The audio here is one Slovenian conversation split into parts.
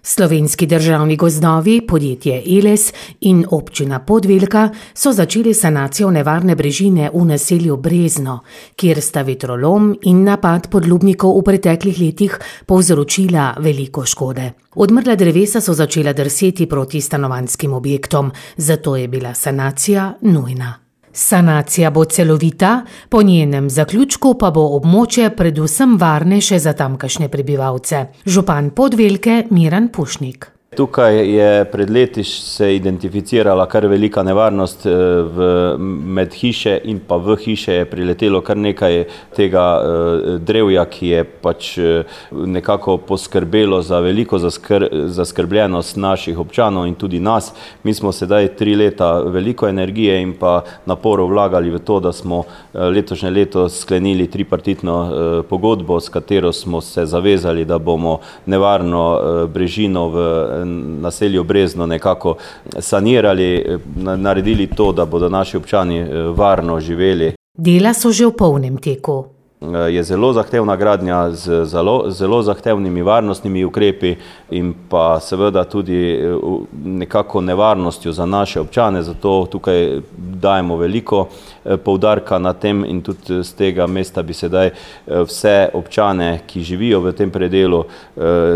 Slovenski državni gozdovi, podjetje Eles in občina Podvelka so začeli sanacijo nevarne brežine v naselju Brezno, kjer sta vetrolom in napad podlubnikov v preteklih letih povzročila veliko škode. Odmrla drevesa so začela drseti proti stanovanjskim objektom, zato je bila sanacija nujna. Sanacija bo celovita, po njenem zaključku pa bo območje predvsem varnejše za tamkajšnje prebivalce. Župan Podvelke Miran Pušnik. Tukaj je pred leti se identificirala kar velika nevarnost, med hiše in pa v hiše je priletelo kar nekaj tega drevja, ki je pač nekako poskrbelo za veliko zaskrbljenost naših občanov in tudi nas. Mi smo sedaj 3 leta veliko energije in pa naporov vlagali v to, da smo letošnje leto sklenili tripartitno pogodbo, s katero smo se zavezali, da bomo nevarno brežino v naselju Brezno nekako sanirali, naredili to, da bodo naši občani varno živeli. Dela so že v polnem teku. Je zelo zahtevna gradnja z zelo zahtevnimi varnostnimi ukrepi in pa seveda tudi nekako nevarnostjo za naše občane, zato tukaj dajemo veliko poudarka na tem in tudi z tega mesta bi sedaj vse občane, ki živijo v tem predelu,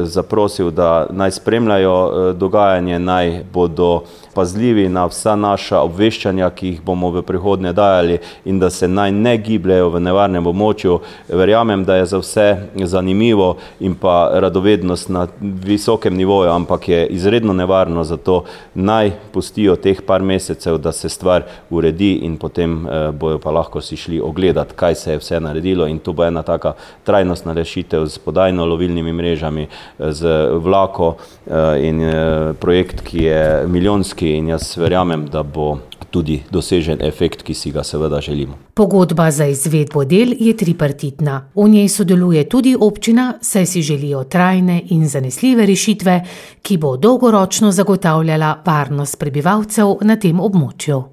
zaprosil, da naj spremljajo dogajanje, naj bodo pazljivi na vsa naša obveščanja, ki jih bomo v prihodnje dajali in da se naj ne gibljajo v nevarnem območju. Verjamem, da je za vse zanimivo in pa radovednost na visokem nivoju, ampak je izredno nevarno, zato naj pustijo teh par mesecev, da se stvar uredi in potem bojo pa lahko si šli ogledati, kaj se je vse naredilo in to bo ena taka trajnostna rešitev z podajno-lovilnimi mrežami, z vlako in projekt, ki je milijonski in jaz verjamem, da bo tudi dosežen efekt, ki si ga seveda želimo. Pogodba za izvedbo del je tripartitna. V njej sodeluje tudi občina, saj si želijo trajne in zanesljive rešitve, ki bo dolgoročno zagotavljala varnost prebivalcev na tem območju.